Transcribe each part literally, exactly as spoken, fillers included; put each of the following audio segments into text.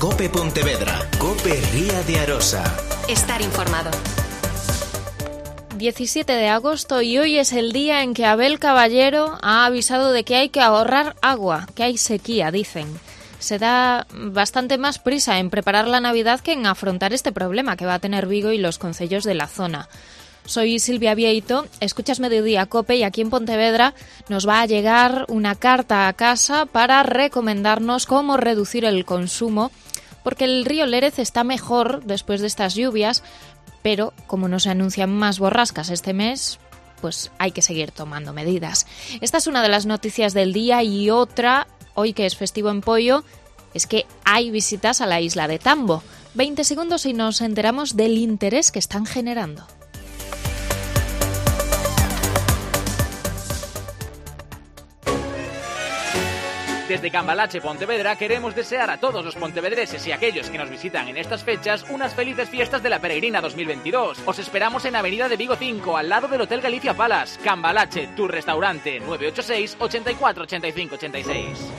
Cope Pontevedra, Cope Ría de Arosa. Estar informado. diecisiete de agosto y hoy es el día en que Abel Caballero ha avisado de que hay que ahorrar agua, que hay sequía, dicen. Se da bastante más prisa en preparar la Navidad que en afrontar este problema que va a tener Vigo y los concellos de la zona. Soy Silvia Vieito, escuchas Mediodía Cope y aquí en Pontevedra nos va a llegar una carta a casa para recomendarnos cómo reducir el consumo, porque el río Lérez está mejor después de estas lluvias, pero como no se anuncian más borrascas este mes, pues hay que seguir tomando medidas. Esta es una de las noticias del día y otra, hoy que es festivo en Poio, es que hay visitas a la isla de Tambo. veinte segundos y nos enteramos del interés que están generando. Desde Cambalache, Pontevedra, queremos desear a todos los pontevedreses y aquellos que nos visitan en estas fechas unas felices fiestas de la Peregrina dos mil veintidós. Os esperamos en Avenida de Vigo cinco, al lado del Hotel Galicia Palace. Cambalache, tu restaurante, nueve ocho seis, ochenta y cuatro, ochenta y cinco, ochenta y seis.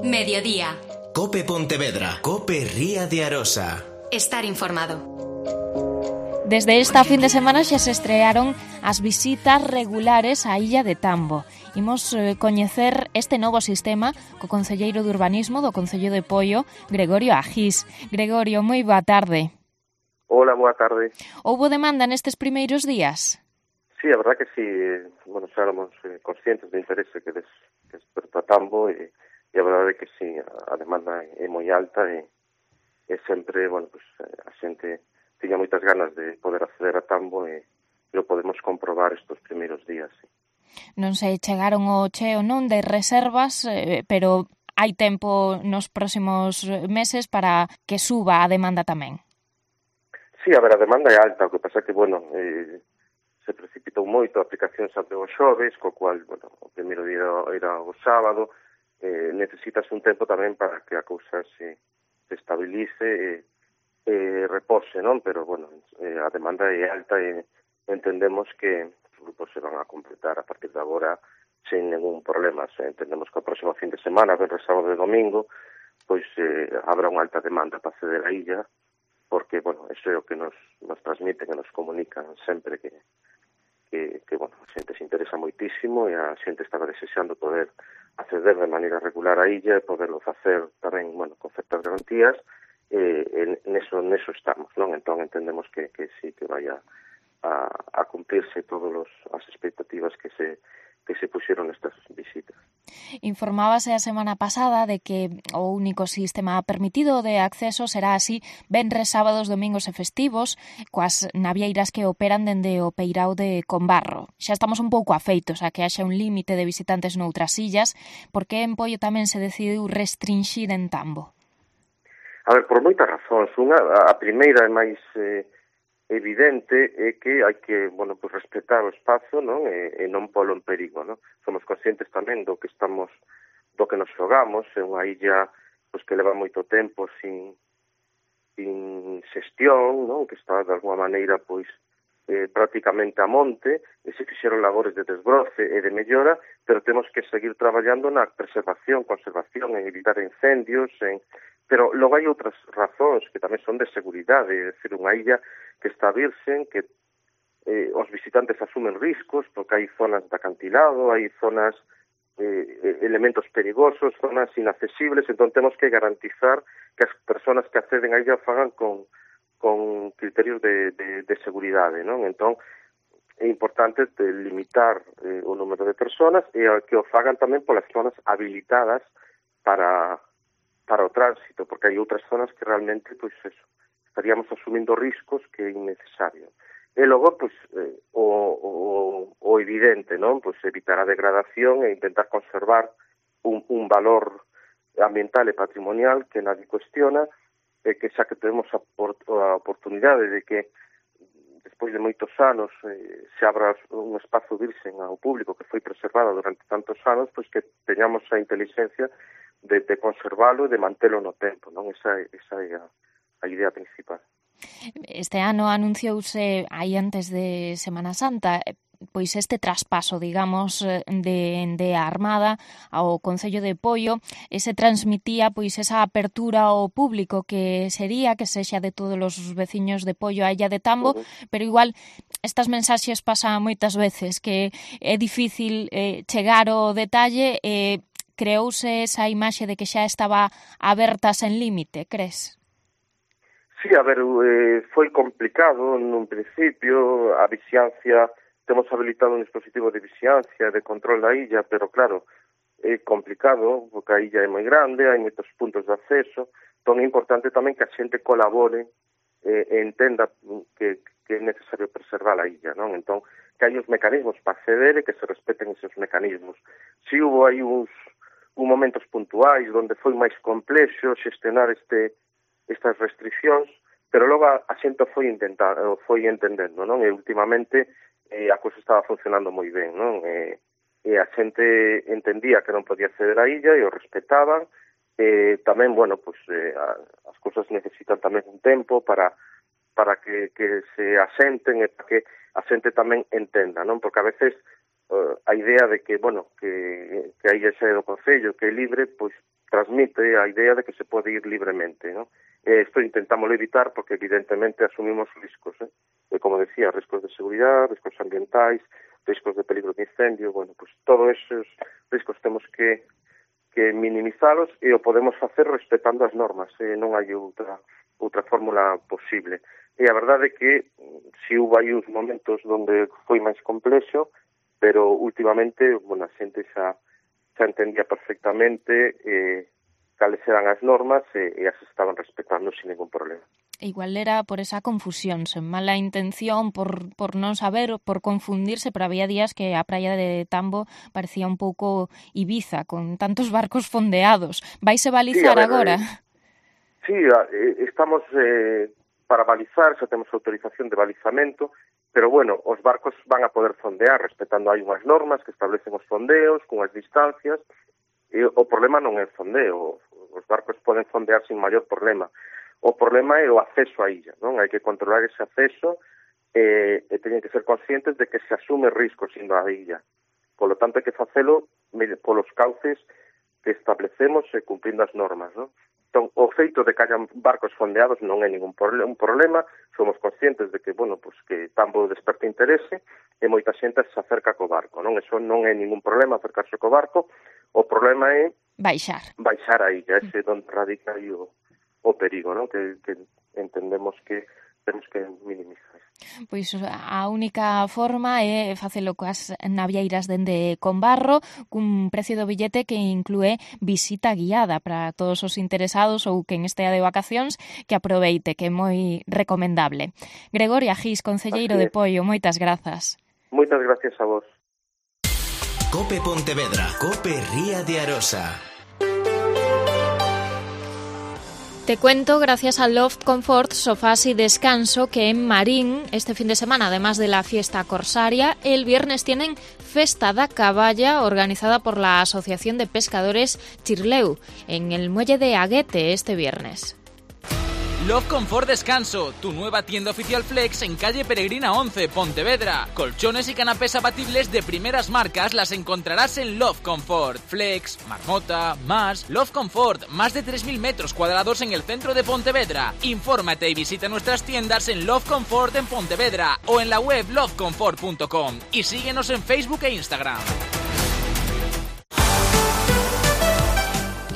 Mediodía. Cope Pontevedra, Cope Ría de Arosa. Estar informado. Desde esta fin de semana xa se estrearon as visitas regulares á Illa de Tambo. Imos eh, coñecer este novo sistema co concelleiro de Urbanismo do Concello de Poio, Gregorio Agís. Gregorio, moi boa tarde. Hola, boa tarde. Houbo demanda nestes primeiros días? Sí, a verdad que sí. Bueno, xa éramos eh, conscientes do interese que, des, que desperta Tambo e, e a verdade é que sí, a, a demanda é moi alta e, e sempre, bueno, pues, a xente tiña moitas ganas de poder acceder a Tambo e lo podemos comprobar estes primeiros días. Sí. Non se chegaron ao cheo non de reservas, eh, pero hai tempo nos próximos meses para que suba a demanda tamén. Sí, a ver, a demanda é alta, o que pasa que, bueno, eh, se precipitou moito, a aplicación se abriu os xoves, co cual, bueno, o primeiro día era o sábado, eh, necesitas un tempo tamén para que a cousa se, se estabilice e eh, eh, repose, non? Pero, bueno, eh, a demanda é alta e entendemos que os grupos se van a completar a partir de agora sen ningún problema. Se entendemos que o próximo fin de semana, venres, sábado e domingo, pois eh, habrá unha alta demanda para acceder á illa, porque, bueno, eso é o que nos, nos transmiten, que nos comunican sempre que, que, que, bueno, a xente se interesa moitísimo e a xente estaba desexando poder acceder de maneira regular á illa e poderlo facer tamén, bueno, con certas garantías. Eh, en eso, neso estamos, non? Entón entendemos que, que sí, que vaya a, a cumplirse todas as expectativas que se que se puxeron nestas visitas. Informábase a semana pasada de que o único sistema permitido de acceso será así venres, sábados, domingos e festivos coas navieiras que operan dende o Peirao de Combarro. Xa estamos un pouco afeitos a que haxa un límite de visitantes noutras illas, porque en Poio tamén se decidiu restringir en Tambo. A ver, por moitas razóns. Unha, a primeira é máis eh, evidente é que hai que, bueno, pues respetar o espazo, non? E, e non polo en perigo, non? Somos conscientes tamén do que estamos, do que nos xogamos, é unha illa pues, que leva moito tempo sin, sin xestión, non? Que está de alguma maneira, pois, eh, prácticamente a monte, e se fixeron labores de desbroce e de mellora, pero temos que seguir traballando na preservación, conservación, en evitar incendios, en pero logo hai outras razóns que tamén son de seguridade, é dicir, unha illa que está virxen, que eh, os visitantes asumen riscos, porque hai zonas de acantilado, hai zonas, eh, elementos perigosos, zonas inaccesibles, entón temos que garantizar que as persoas que acceden a illa fagan con, con criterios de, de, de seguridade, non? Entón, é importante limitar eh, o número de persoas e que o fagan tamén polas zonas habilitadas para para o tránsito, porque hai outras zonas que realmente, pois, eso, estaríamos asumindo riscos que é innecesario. E logo, pois, eh, o, o, o evidente, non? Pois evitar a degradación e intentar conservar un, un valor ambiental e patrimonial que nadie cuestiona, e que xa que temos a, por, a oportunidade de que despois de moitos anos eh, se abra un espazo virxen ao público que foi preservado durante tantos anos, pois que teñamos a inteligencia de, de conservalo e de mantelo no tempo, non? Esa, esa é a, a idea principal. Este ano anunciouse aí antes de Semana Santa pois este traspaso, digamos, de, de Armada ao Concello de Poio, ese transmitía pois esa apertura ao público que sería que sexa de todos os veciños de Poio a Illa de Tambo, uh-huh. pero igual estas mensaxes pasan moitas veces que é difícil eh, chegar ao detalle e eh, creouse esa imaxe de que xa estaba aberta sen límite, crees? Sí, a ver, eh, foi complicado nun principio, a vixiancia, temos habilitado un dispositivo de vixiancia, de control da illa, pero claro, é complicado, porque a illa é moi grande, hai moitos puntos de acceso, entón é importante tamén que a xente colabore eh, e entenda que, que é necesario preservar a illa, non? Entón, que hai os mecanismos para acceder e que se respeten esos mecanismos. Si hubo aí uns, uns momentos puntuais onde foi máis complexo xestionar este estas restriccións, pero logo a, a xente foi intentar, foi entendendo, non? E últimamente eh, a cousa estaba funcionando moi ben, non? E, e a xente entendía que non podía acceder á illa e o respetaban. E tamén, bueno, pues eh, a, as cousas necesitan tamén un tempo para para que, que se asenten e para que a xente tamén entenda, non? Porque a veces uh, a idea de que, bueno, que, que a illa xa é do Concello, que é libre, pois transmite a idea de que se pode ir libremente, non? E isto intentamos evitar porque evidentemente asumimos riscos, eh? E como decía, riscos de seguridade, riscos ambientais, riscos de peligro de incendio, bueno, pues todos esos riscos temos que, que minimizalos e o podemos facer respetando as normas, eh? Non hai outra, outra fórmula posible. E a verdade é que si hubo aí uns momentos onde foi máis complexo, pero últimamente, bueno, a xente xa, xa entendía perfectamente eh, cales eran as normas e, e as estaban respetando sin ningún problema. Igual era por esa confusión, sen mala intención, por, por non saber, por confundirse, pero había días que a praia de Tambo parecía un pouco Ibiza, con tantos barcos fondeados. Vaise balizar sí, agora? Eh, sí, eh, estamos eh, para balizar, xa temos autorización de balizamento, pero bueno, os barcos van a poder fondear respetando hai unhas normas que establecen os fondeos, cunhas distancias. E o problema non é o fondeo, os barcos poden fondear sin maior problema. O problema é o acceso á illa, non? Hai que controlar ese acceso e, e teñen que ser conscientes de que se asume riscos indo á illa. Por lo tanto, hai que facelo polos cauces que establecemos e cumprindo as normas, non? Entón, o feito de que hayan barcos fondeados non é ningún un problema, somos conscientes de que, bueno, pues que Tambo desperta interese e moita xente se acerca co barco, non? Eso non é ningún problema acercarse co barco, o problema é baixar. Baixar a illa, ese onde radica aí o, o perigo, non? Que, que entendemos que temos que minimizar. Pois a única forma é facelo coas navieiras dende Combarro, cun precio do billete que inclúe visita guiada para todos os interesados ou quen estea de vacacións, que aproveite, que é moi recomendable. Gregoria Gis, concelleiro de Poio, moitas grazas. Moitas gracias a vos. Cope Pontevedra, Cope Ría de Arosa. Te cuento gracias a Loft Comfort, sofás y descanso, que en Marín este fin de semana, además de la fiesta corsaria, el viernes tienen Festa da Caballa, organizada por la Asociación de Pescadores Chirleu, en el muelle de Aguete este viernes. Love Comfort Descanso, tu nueva tienda oficial Flex en calle Peregrina once, Pontevedra. Colchones y canapés abatibles de primeras marcas las encontrarás en Love Comfort. Flex, Marmota, Más, Love Comfort, más de tres mil metros cuadrados en el centro de Pontevedra. Infórmate y visita nuestras tiendas en Love Comfort en Pontevedra o en la web love comfort punto com y síguenos en Facebook e Instagram.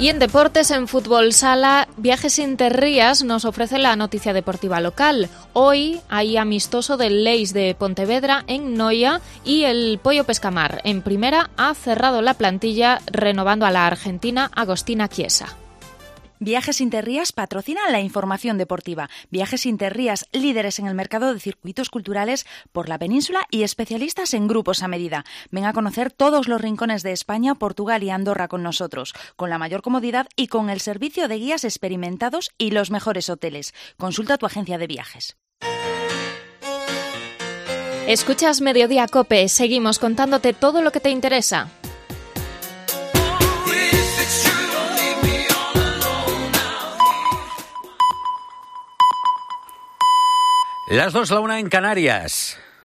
Y en deportes, en fútbol sala, Viajes Interrías nos ofrece la noticia deportiva local. Hoy hay amistoso del Leis de Pontevedra en Noia y el Pollo Pescamar. En primera ha cerrado la plantilla renovando a la argentina Agostina Chiesa. Viajes Interrías patrocinan la información deportiva. Viajes Interrías, líderes en el mercado de circuitos culturales por la península y especialistas en grupos a medida. Ven a conocer todos los rincones de España, Portugal y Andorra con nosotros, con la mayor comodidad y con el servicio de guías experimentados y los mejores hoteles. Consulta tu agencia de viajes. Escuchas Mediodía Cope. Seguimos contándote todo lo que te interesa. Las dos, la una en Canarias.